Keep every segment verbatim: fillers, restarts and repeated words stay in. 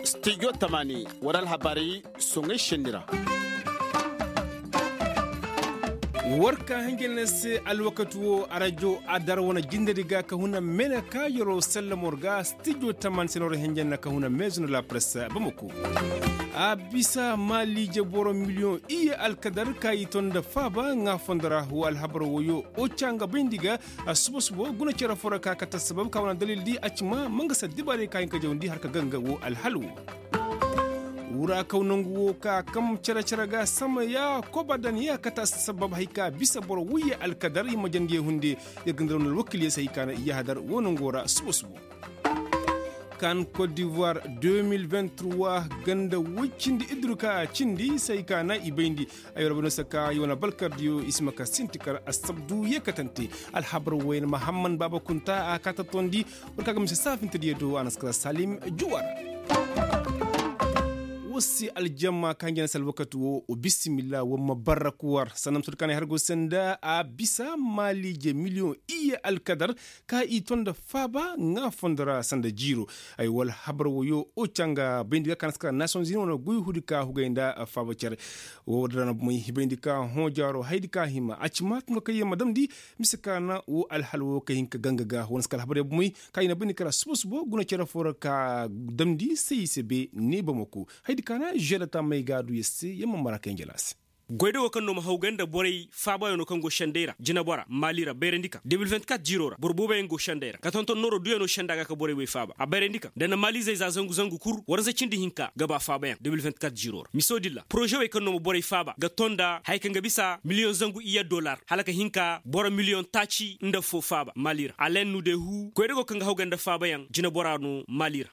Stijo tamaani war alhabaray soŋay šenni ra. War ka hinja na se alwakati wo arajo adar wane jindedi ga ka huna mene ka yaro sallamor ga stijo tamaani se no ra hinja na ka huna meezu na la presse bamako. A bisa maaliije boro miliyoŋ iyye alkadar ka i ton nda faaba ŋaa fondo ra wo alhabar woyo oca nga bayndi ga. Suba suba guna cere fo ra ka kate assabab ka wane dalil di a ci ma ma nga se dibaarey ka hin ka jawndi har ka ganga wo alhal wo. Wura kaw nangu wo ka kam cere cere ga samaya koba dan ya kate assabab hay ka bisa boro wuyye alkadar i ma jandi ye hunde. Yer ga nda ra wane alwakil ye se hay ka na i yahadar wo nango ra suba suba. Kan kot divoir deux mille vingt trois ganda woy cindi idurka cindi se hay ka na i bayndi. Ay war bano saka i wane balkardiyo i si ma ka sinti kar assabdu ye katante. Alhabar woyen mahamman baaba kunta a ka tattondi. War ka ga mise saafintediyo do a na si kar salim juwar. Wasi aljamma ka hinja na si alwakati wo bisimilla war ma barra kuwar sanda ma sodkanay har go sanda a bisa maaliije miliyoŋ iyye alkadar. Ka i ton nda faaba ŋaa fondo ra sanda jiiro. Ay wala habar woyo oca nga bayndi ga ka na si kara nasiyonzini wane goy hudi ka hugay nda faaba cere. Wo da ra na bumey hibayndi ka hõ jaaro haydi ka hima a ci ma ka nga kaŋ yer ma damndi. Mise ka na wo alhal wo ka hin ka ganga ga wane si ka alhabar yer bumey ka i na bayndi kara suba suba guna cere fo ra ka damndi se i se be ne bamako. Haydi ka na žerata may ga a du yer se yer ma mara ka yer njala se. Goyda wo kaŋ no ma hawgay nda borey faabayaŋo kaŋ go sendey ra jinebora maali ra bayrandi ka deux mille vingt-quatre jiiro ra boro booboyaŋ go sendey ra ka tonton nooro duyaŋo senda ga ka borey way faaba a bayrandi ka nda na maalizey za zangu zangu kul waransa cindi hinka ga ba faabayaŋ deux mille vingt-quatre jiiro ra miso dilla poroze wey kaŋ no ma borey faaba ga ton nda haya kaŋ ga bisa miliyoŋ zangu iyye dolar hala ka hin ka boro miliyoŋ taaci nda fo faaba maali ra alen nu de hu goyda go kaŋ ga hawgay nda faabayaŋ jinebora no maali ra.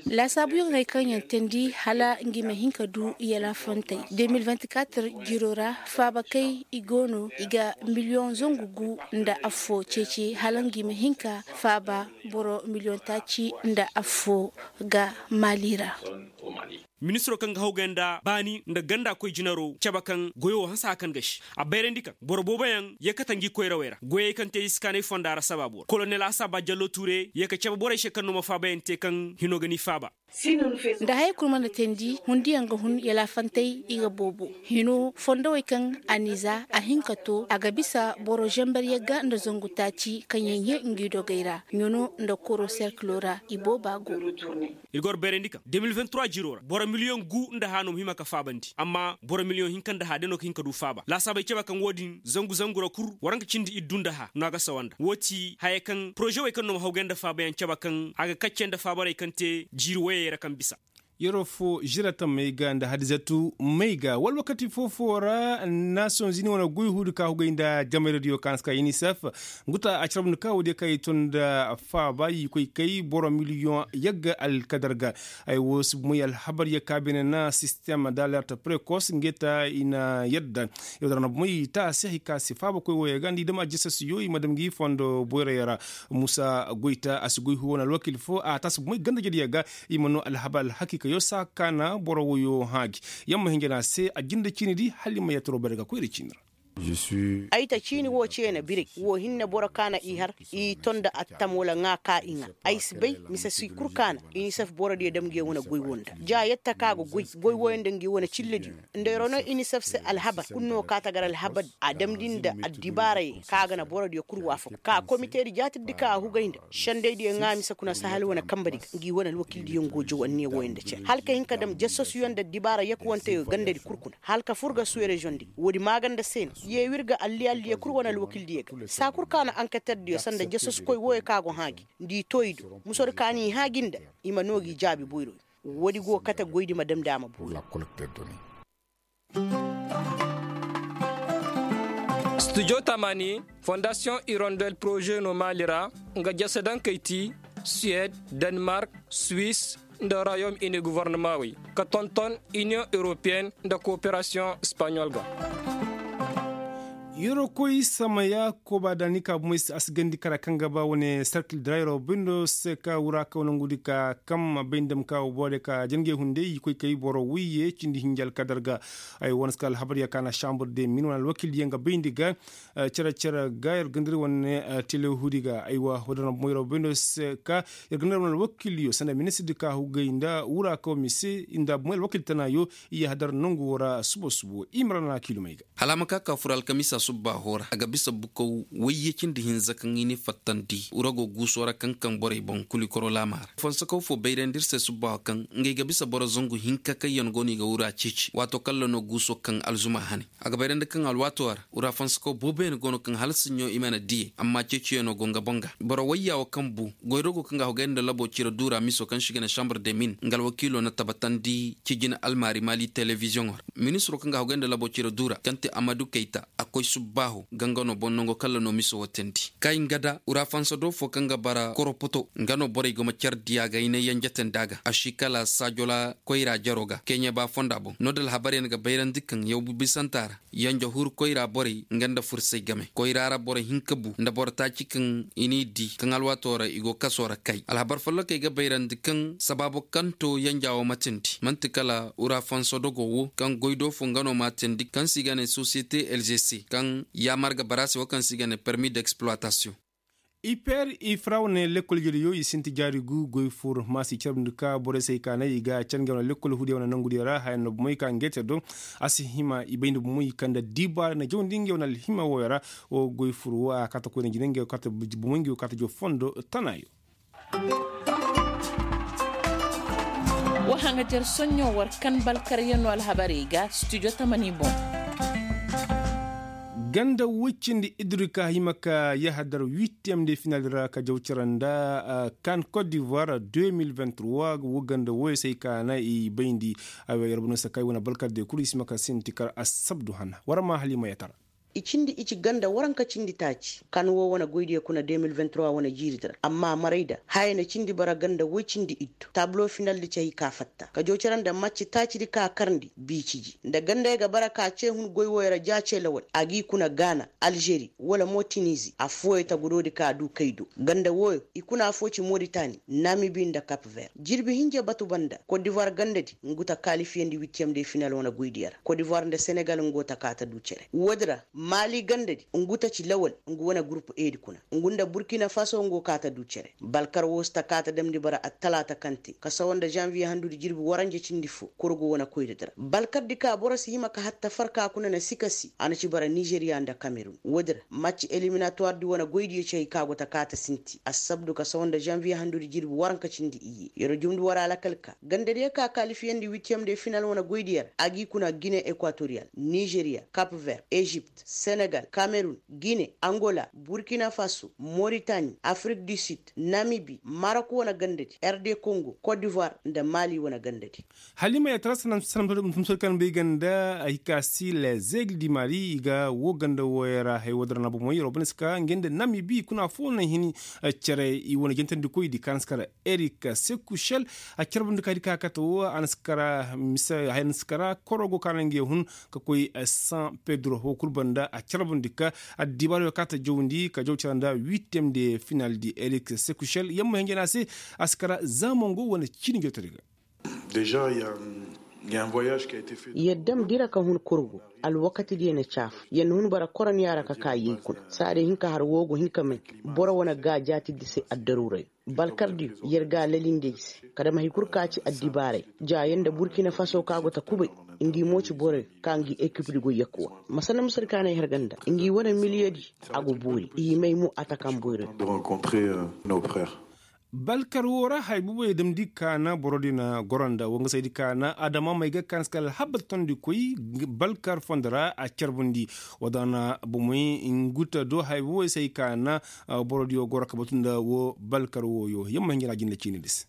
Laasaabuyaŋ hay kaŋ yaŋ teendi hala ngi ma hin ka du yalaafantey deux mille vingt-quatre jiiro ra faabakey i go no i ga miliyoŋ zangu gu nda affo ceeci hala ngi ma hin ka faaba boro miliyoŋ taaci nda affo ga maali ra. Ministiro kaŋ ga hawgay nda baani nda ganda koy jinaro cabe kaŋ goyo wo hanse a kaŋ gasi a bayrandi kaŋ boro booboyaŋ ye kate ngi koyrawey ra goyey kaŋ te i si kaanay fonda ra sabaabu ra kolonel asaba jallo tuure ye ka cabe borey se kaŋ no ma faabayaŋ te kaŋ hino ga ni faaba. Nda haya kul mana teendi hundiyaŋ ga hun yalaafantey i ga boobo hino fondowey kaŋ a n'i za a hin ka to a ga bisa boro zambar yagga nda zangu taaci kaŋ yaŋ ye ngi dogey ra ɲuno nda koro serkilo ra i booba go. Ir ga war bayrandi kaŋ deux mille vingt-trois jiiro ra boro miliyoŋ gu nda hano ma hima ka faabandi amma boro miliyoŋ hinka nda hano day no ka hin ka du faaba laasaabey cabe kaŋ wo-din zangu zangu ra kul war nga cindi iddu nda hano a ga sawa nda wo ti haya kaŋ poroze wey kaŋ no ma hawgay nda faabayaŋ cabe kaŋ a ga kacce nda faabarey kaŋ te jiiri woyey ra kaŋ bisa. Yeroo fo žirata may ga nda hadizatu may ga wala wakati foo-foo ra nasiyoŋ zini wane goy huudi ka hugay nda jamayra diyo ka na si ka inisef. Ngu ta a carab nda ka woodiyo ka i tun nda faaba i koy kay boro miliyoŋ yagga alkadar ga. Ay woo si moy alhabar ya ka beene na sistem da alert prekos nge ta i na yadda. Yaw dara na moy ta a se hay ka si faaba koy wooyo ga nda i dam a jisasiyo i ma dam ngi fondo boyra yara. Musa goy ta a si goy huu wane alwakil foo a ta si moy ganda jediyo ga. I ma noo alhabar alhakiika yoo saa ka na boro woyoo hãa gi. Yamma hinja na a se a jinde ciini di hala i ma yattaroo bare ga koyra ciini ra. Ay ta ciini woo ceena biray woo hinne boro ka na i har i ton nda attam wala ŋaa ka i ŋaa. Ay si bay mise si kul ka na inisef borodiyo dam ngi yaŋ wane goy woo nda ja yatta ka go goy goy wooyo nda ngi wane cillediyo. Nda yer wane inisef se alhabar kul no ka ta gar alhabar a damndi nda addibaarayey ka ga na borodiyo kul waafak ka komitedi jaatirdi ka a hugay nda sendaydiyo ŋaa mise kuna sahal wane kambedi ga ngi wane alwakildiyo ngo jow anniya wooyo nda cere hala ka hin ka dam jasasuyo nda addibaara yakuwanteyo gandadi kul kuna hala ka fur ga suwerezondi woodi maaganda se no. Yee wir ga alliyalliyo kul wane alwakildiyo ga saa kul ka na anketerdiyo sanda jasasukoy wooyo ka go hãa gi nda i too i do musodi ka n'i hãa gi nda i ma noo gi jaabi boyroyo. Woodi go kate goydi ma damndi a ma boori. Studio tamani fondasiyoŋ irondel poroze no maali ra nga jasadankey ti suwed, danemark, swis, nda royom ini govornamaawey ka tonton iniyoŋ europeyenne nda kooperasiyoŋ espaɲol ga. Yeroo koy samaya kooba daani ka bomey se a si gandi kara kaŋ ga ba wane sarkil dira yeroo bindo se ka wura kaw nangudi ka kam bayndi dam ka wo boorey ka jangey hunday i koy kay boro wayye cindi hinja alkadar ga. Ay wane si ka alhabar ya kaana sambur de min wane alwakil yaŋ ga bayndi ga cere cere ga yer gandari wane tele hudi ga aywa wadana bomey yeroo bindo se ka yer gandari wane alwakil yo sanda ministir di ka hugay nda wura kaw mise nda bomey alwakil tana yo. Iya hadar nongu woo ra subo subo i ma ra na kiilumey ga. Hala a ma ka ka fur alkamiisa subbaaho ra a ga bisa bukaw wayye cindi hinza kaŋ i n'i fattandi wura go guuso ra kaŋ kaŋ borey boŋ kuli koro laama ra. Fansakaw fo bayrandi ir se subbaaho kaŋ ngey ga bisa boro zangu hinka kaŋ yaŋ go no i ga wura ceeci waato kaŋ ra no guuso kaŋ alzuma hane. A ga bayrandi kaŋ alwaato ra wura fansakaw booboyaŋ go no kaŋ hala siɲo i mana diyey amma ceeciyaŋo go nga boŋ ga boro wayya wo kaŋ bu goyrogo kaŋ ga a hogay nda labo cire duura miso kaŋ se i ga ne sambur de min nga alwakiilo na tabatandi cijine almaari maali telebiziyoŋo ra. Ministiro kaŋ ga a hogay nda labo cire duura kaŋ te amadu kayta a koy subbaaho ga nga no boŋ nango kaŋ ra no miso wo teendi kay nga da wura fansa do fo kaŋ ga bara koropoto nga no borey go ma care diya ga i ne yanjatandi a ga a si kala saajola koyra jaro ga keeɲe ba fonda boŋ no da alhabaryaŋ ga bayrandi kaŋ yaw bisanta ra. Yanjahur koyra borey nga nda fursay game koyra ra boro hinka bu nda boro taaci kaŋ i n'i di kaŋ alwaatoo ra i go kasoo ra kay alhabar follokey ga bayrandi kaŋ sabaabo kaŋ to yanja wo matandi man'ti kala wura fanso dogo wo kaŋ goy do fo nga no matandi kaŋ se i ga ne sosiyete lgc kaŋ yaamar ga bara se wo kaŋ se i ga ne permi d'exploitasiyoŋ. Iper ifra wane lekkol jediyo i sinti jaari gu goy fur ma si carbundi ka borey se i kaanay i ga cange wane lekkol hudiya wane nongudiyo ra haya no bomey ka ngeete do. A si hima i bayndi bomey ka nda dibaara na jawndi nge wane alhima woyo ra. Wo goy fur wo a kaata koyne jine nge wo kaata bomey nge wo kaata jaw fondo tanayo. Wa haŋajer soɲɲo war kan balkaryaŋo alhabarey ga studio tamani boŋ. Ganda woy cindi iddu di ka hima ka yahadar witiyem de final ra ka jaw cere nda kan kot divoir deux mille vingt trois wo ganda woy se ay ka na i bayndi. Ay wa yarba no se ka ay wane balkar de kulu i si ma ka sinti kar assabdu hana war ma halima yatara. I cindi i ci ganda waranka cindi taaci kan wo wane goydiyo kuna deux mille vingt trois wane jiiri di ra amma maray da haya na cindi bara ganda woy cindi iddu tablo final di ci hay ka fatta ka jaw cere nda macci taaci di ka karndi biici ji nda gandey ga bara ka ce hun goy woy ra ja ce lawal a g'i kuna gaana alžeri wala mo tinizi affooyo tagudo di ka du kay do ganda woyo i kuna affoo ci moritani namibi nda kap ver jirbi hinja batu banda kot divoir ganda di ngu ta kalifiyandi witiyem de final wane goydiyo ra kot divoir nda senegal ngu ta ka ta du cere woodi ra maali ganda di ngu ta ci lawal ngu wane gurupu e di kuna ngu nda burkina faso ngu ka ta du cere balkar wo si ta ka ta damndi bara attalaata kaŋ te ka sawa nda zanviye handudi jirbi waranja cindi fo korgo wane koyra di ra balkar di ka boro si hima ka hatta farka kuna na sikasi a na ci bara nizeriya nda kamerun woodi ra macci eliminatuwar di wane goydiyo ci hay ka go ta kaata sinti assabdu ka sawa nda zanviye handudi jirbi waranka cindi iyye yer jumndi war alakal ka gandadiyo ka kalifiyandi witiyem de final wane goydiyo ra a g'i kuna gine ekwatoriyal nizeriya kap ver ezipt senegal kamerun gine angola burkina faso moritani afrik di sid namibi marok wane gandadi r d kongo kot divoir nda mali wane gandadi. Halima ya tara sanam sanam tumsor kan bay ganda ay ka si le zegle di mali i ga wo ganda woyara hay wadara na bomo yaro bane ska ngende namibi kuna fo na hini. Cere i wane jentandi koy di kan skara erik sekushel a carbundi ka di ka kata wo an skara misa hay an skara korogo kana nge hun ka koy san pedro ho kul banda a carbundi ka addibar yo kata jawndi ka jaw caranda huitième de final di erik sekushel yamma hinjana se a skara zamongo wane cini jawtari ga. Déjà il y a il y a un voyage qui a été fait. Yer dam dira ka hun kurgu alwakati diyo na caafu yer na hun bara koroniya ra ka ka yey kuna saadiyo hin ka har woo go hin ka may boro wane gaajaati di se addaruuray balkar diyo yer ga a lalindi ay se ka dam hay kul ka ci addibaaray ja yer nda burkina faso ka go ta kubay ngi mo ci boroyo ka ngi ekip di go yakkuwa masana misir ka na ay har ganda ngi wane miliyedi a go boori i may mo a ta kaŋ boyroyo. Balkar woo ra haya boboyo damndi kaana borodi na goro nda wangasaydi kaana adama may ga kaana si kala alhabar tondi koy balkar fondo ra a carbundi wadana bomey nguta do haya boboyo si ay kaana borodiyo goro ka batu nda woo balkar wooyo yamma hinjina jinda ciini di se.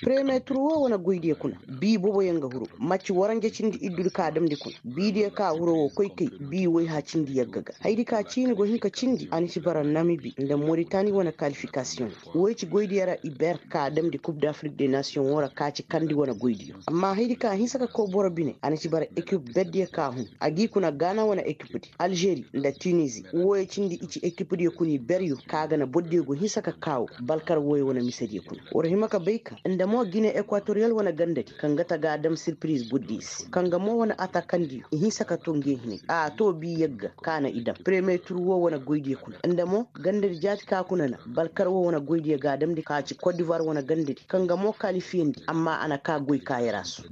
Premiye tur wo wane goydiyo kuna bii boboyaŋ ga huru. Macci waranja cindi iddudi ka damndi kuna biidiyo ka huro wo koy kay. Bii woyha cindi yagga ga haydi ka ciini go hin ka cindi a na ci bara namibi nda moritani wane kalifikasiyoŋ. Woy ci goydiyo ra i ber ka damndi kub dafirik de nasiyoŋo ra ka ci kandi wane goydiyo. Amma haydi ka hinsa ka koy boro bine a na ci bara ekip berdiyo ka hun. A g'i kuna gaana wane ekipdi alžeri nda tinizi. Wooyo cindi i ci ekipdiyo kuna i beryo ka ga na bordiyo go hinsa ka kaawo. Balkar wooyo wane misediyo kuna war hima ka bay ka nda mo gine ekwatoriyal wane gandadi kaŋ ga ta ga a dam sirpiriz bordiyo se kaŋ ga mo wane atakandiyo i hinsa ka to nge hinay a to bi yagga ka na i dam premiye tur woo wane goydiyo kuna nda mo gandadi jaati ka kuna na balkar woo wane goydiyo ga a damndi ka ci kot divuwar wane gandadi kaŋ ga mo kalifiyandi amma a na ka goy kaayara su.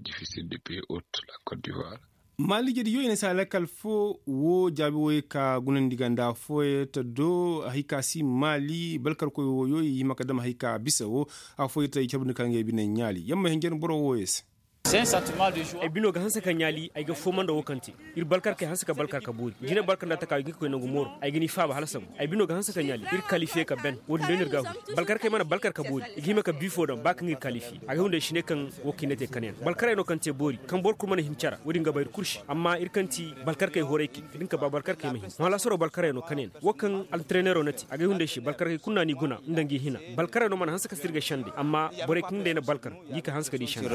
Maali jediyo i na si a lakkal foo woo jaabi wooyo ka gunandi ga nda affooyo ta do hay ka si maali balkarkoy wooyo i hima ka dam hay ka bisa woo. Affooyo ta i carbandi ka ngey bine ɲaali yamma hinjan boro wooyo se. Ay bino ga hanse ka ɲaali ay ga fooma nda woo kaŋ te ir balkarkey hanse ka balkar ka boori jine balkar nda a taka ay ga ni koy nangu mooro ay ga ni faaba hala sambu ay bino ga hanse ka ɲaali ir kalifiye ka ben. Wo-din day no ir ga a huri balkarkey mana balkar ka boori i ga hima ka bii foo daŋ ba kaŋ ir kalifiye a ga hunda ay si ne kaŋ woo kaŋ i na te kanayaŋ balkarey no kaŋ te boori kaŋ boro kul mana hin cara wo-din ga ba ir kul se amma ir kaŋ ti balkarkey horaykey da ni ka ba balkarkey ma hin halaasaroo balkarey no kanayaŋ. Woo kaŋ antareneeroo na te a ga ay hunda ay se balkarkey kul na ni guna nda ngi hina balkarey no mana hanse ka sirga sende amma borey kaŋ day na balkar ngi ka hanse ka di sende.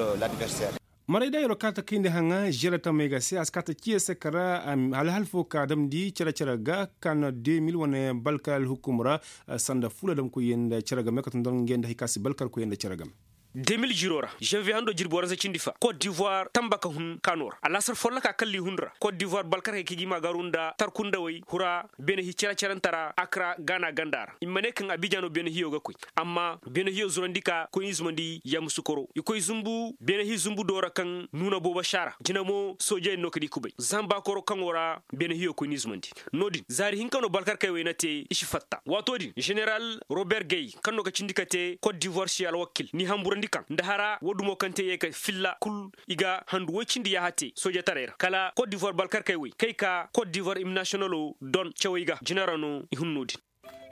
Maray da yeroo kaata kayndi haŋa žere tamey ga se a si kaata ciye se kara. Hala hal foo ka damndi cere-cere ga ka na de mil wane balkar alhukum ra sanda fuula damkoyyaŋ nda cere game ka tun dor ngey nda hay ka si balkarkoyyaŋ nda cere game. De mil žiroo ra žanviye handoo jirbi waransa cindi fa kot divuwar tamba ka hun kaanoo ra alaasar folloka kalli hun ra kot divuwar balkarkey kaŋ i ga i ma garu nda tarkundawey hura beene hi cere-cerentara akra gaana ganda ra i ma ne kaŋ abijan no beene hiyo ga koy. Amma beene hiyo zurandi ka koy ni zumandi yammusu koro i koy zumbu beene hi zumbu doora kaŋ nuuna boobo saara jina mo soojey no ka di kubay zamba koro kaŋo ra. Beene hiyo koy ni zumandi no-din zaari hinka no balkarkey wey na te i si fatta waato din ženeral rober gay kaŋ no ka cindi ka te kot divuwar se alwakil ni hamburandi kaŋ nda hara woo dumo kaŋ te ye ka filla kul i ga handu woy cindi yaaha te soojetaray ra kala kot divuwar balkarkey wey kay ka kot divuwar im nasiyonalo don cawey ga jina ra no i hun no-din.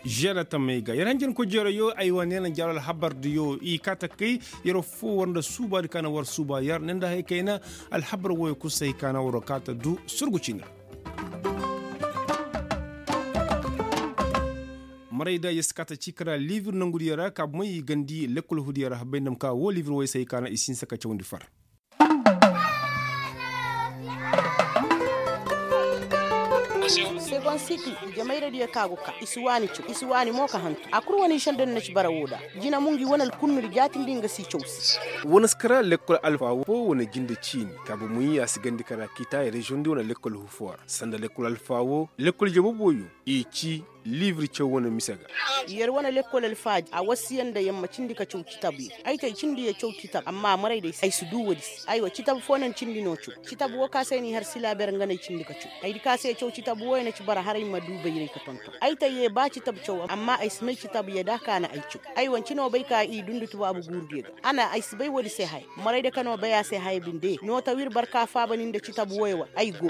Žere tamey ga yer hanjankoy jeerayo ay wane na jaaro alhabardiyo i kaata kay. Yer affoo war nda suubaadi ka na war suuba yer ne nda hay kayna alhabar wooyo kul se hay ka na waroo kaata du surgu ciini ra. Maray da yer si kaata cii kara liibir nongudiyo ra kaabumey i gandi lekkol hudiyo ra habay ndam ka woo liibir wooyo se hay ka na i si hinsa ka cawandi far. Segon sikil jamayradiyo ka go ka i si waani caw i si waani mo ka hantu a kul wane i sanda ni na ci bara woo da. Jina mo ngi wane alkunnudi jaatindi nga si caw se. Wane si kara lekkol alfa woo wane jinde ciini kaabu muyi a si gandi kara kiita reziyoŋdi wane lekkol hufuwar sanda lekkol alfa woo lekkol jabobooyo i ci. Liibir caw wane mise ga. Yer wane lekkol alfaaji a wasiya nda yer ma cindi ka caw citabuyo. Ay te ay cindi yer caw citab amma maray day ay si duu woodi se aywa citab foo na ni cindi no caw. Citab woo ka se ni har silaaber nga na ay cindi ka caw ay di ka se caw citab wooyo na ci bara haray ma duu bayray ka tonton ay te yee ba citab caw amma ay si may citab yee da ka na ay caw. Aywa ni ci no bay ka i dundi tubaabu guuru diyo ga a na ay si bay woodi se haya. Maray day ka no bay a se haya binde no ta wir barka faaba ni nda citab wooyo wa ay go.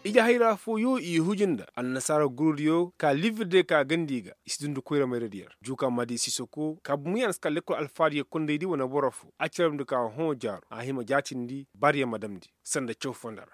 Ijehayra fooyo i huji nda annasaara gurudiyo ka liibir diyo ka gandi ga i si dundi koyra mayradiyo ra juuka maadi sisoko kaabu muyaana si ka lekkol alfaadiyo kondaydi wane boro foo a carabndi ka hõ jaaro a hima jaatindi baariyo ma damndi sanda caw fonda ra.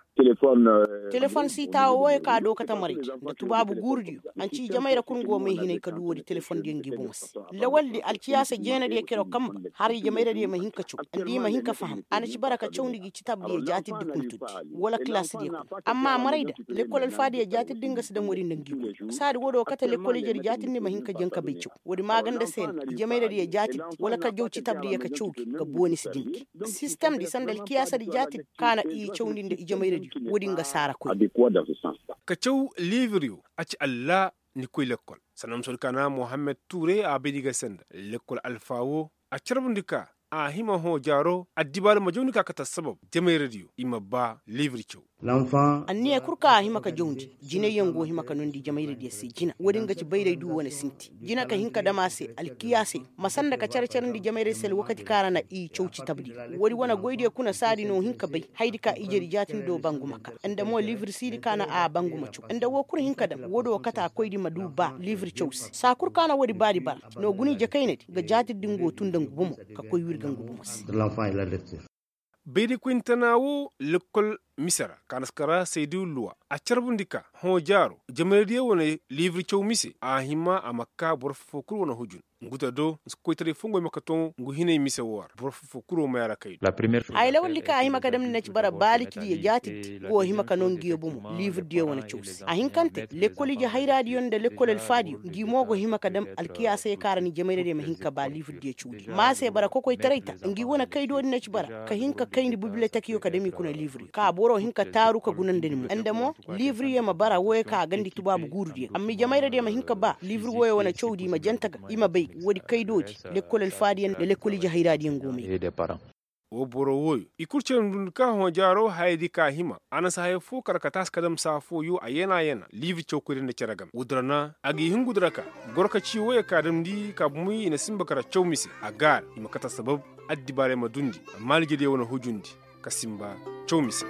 Telefon si taawo wooyo ka dookata maraydi nda tubaabu guurudiyo. Anci ijamayra kul nga wo may hinay ka du woodi telefondiyo ngi boŋo se. Lawaldi alciyaasa jeenadiyo kero kamba har ijamayradiyo ma hin ka caw nda i ma hin ka faham a na ci bara ka cawndi gi citabdiyo jaatiddi kuntuddi wala kilaasdiyo kuna amma marayda lekkol alfaadiyo jaatiddi nga si daŋ woodi nda ngi kuna saadi woodi wo kate lekkol ijedi jaatiddi ma hin ka jaŋ ka bay caw woodi maaganda se na ijamayradiyo jaatiddi wala ka jaw citabdiyo ka caw gi ka booni si din gi sistemdi sanda alkiyaasadi jaatiddi ka na i cawndi nda ijamayradiyo woodi nga saara koy. Ka caw liibiriyo a ci allaa ni koy lekkol. Sanda ma soodi ka na mohammed tuure a bay di ga senda lekkol alfa wo a carbundi ka A hima hõ jaaro addibaari ma jawndi ka kate assabab jamayradiyo i ma ba liibir caw. Anniya kul kaŋ a hima ka jawndi jinayyaŋ go hima ka noondi jamayradiyo se jina woodin ga ci bayray du wane sinti jina ka hin ka dam a se alkiyaasey ma sanda ka care-carandi jamayray se alwakati kaŋ a ra na i cawci tabdi. Woodi wane goydiyo kuna saadi no hin ka bay hayadi ka ijedi jaatindo banguma ka nda mo liibir siidi ka na a banguma caw nda woo kul hin ka dam woodi woo kate a koydi ma du ba liibir caw se saa kul ka na woodi baadi bara no guna ije kaynadi ga jaatirdi nga woo tun nda ngu bomo ka koy wirga ngu bomo se. Bayraykoyni tana woo lekkol mise ra kaanaskara saydu luwa a carbundi ka hõ jaaro jamayradiyo wane liibir caw mise a hima a ma ka boro foo kul wane hujun ngu ta do nsi koytaray fongey ma ka to ngu hinay mise woo ra boro foo kul woo maya ra kay do. Haya lawaldi kaŋ a hima ka damndi na ci bara baalicidiyo jaatirdi woo hima ka noo nguyo bomo liibirdiyo wane caw se a hinkante lekkol ije hayraadiyo nda lekkol alfaadiyo ngi mo go hima ka dam alkiyaasey kaŋ a ra ni jamayradiyo ma hin ka ba liibirdiyo cawdiyo ma a se bara kokoytaray ta ngi wane kaydoodi na ci bara ka hin ka kayndi bibiletekiyo ka dam i kuna liibiriyo ka boro hin ka taaru ka guna nda ni mo nda mo liibiriyo ma bara wooyo kaŋ a gandi tubaabu guurudiyo amma i jamayradiyo ma hin ka ba liibiri wooyo wane cawdi i ma jante ga i ma bay woodi kaydoodi lekkol alfaadiyo nda lekkol ije hayraadiyo ngo may. Woo boro wooyo i kul cere ndundi ka hõ jaaro hayadi ka hima a na si haya foo kar ka taasi ka dam saa fooyo a yana yana liibi cawkoydi nda cere game woodi ra na a ga i hingudi ra ka goro ka cii wooyo ka damndi ka bumey i na sinba kar caw mise a gaara i ma kate assabab addibaarey ma dundi amma alijediyo wane hujundi ka sinba caw mise.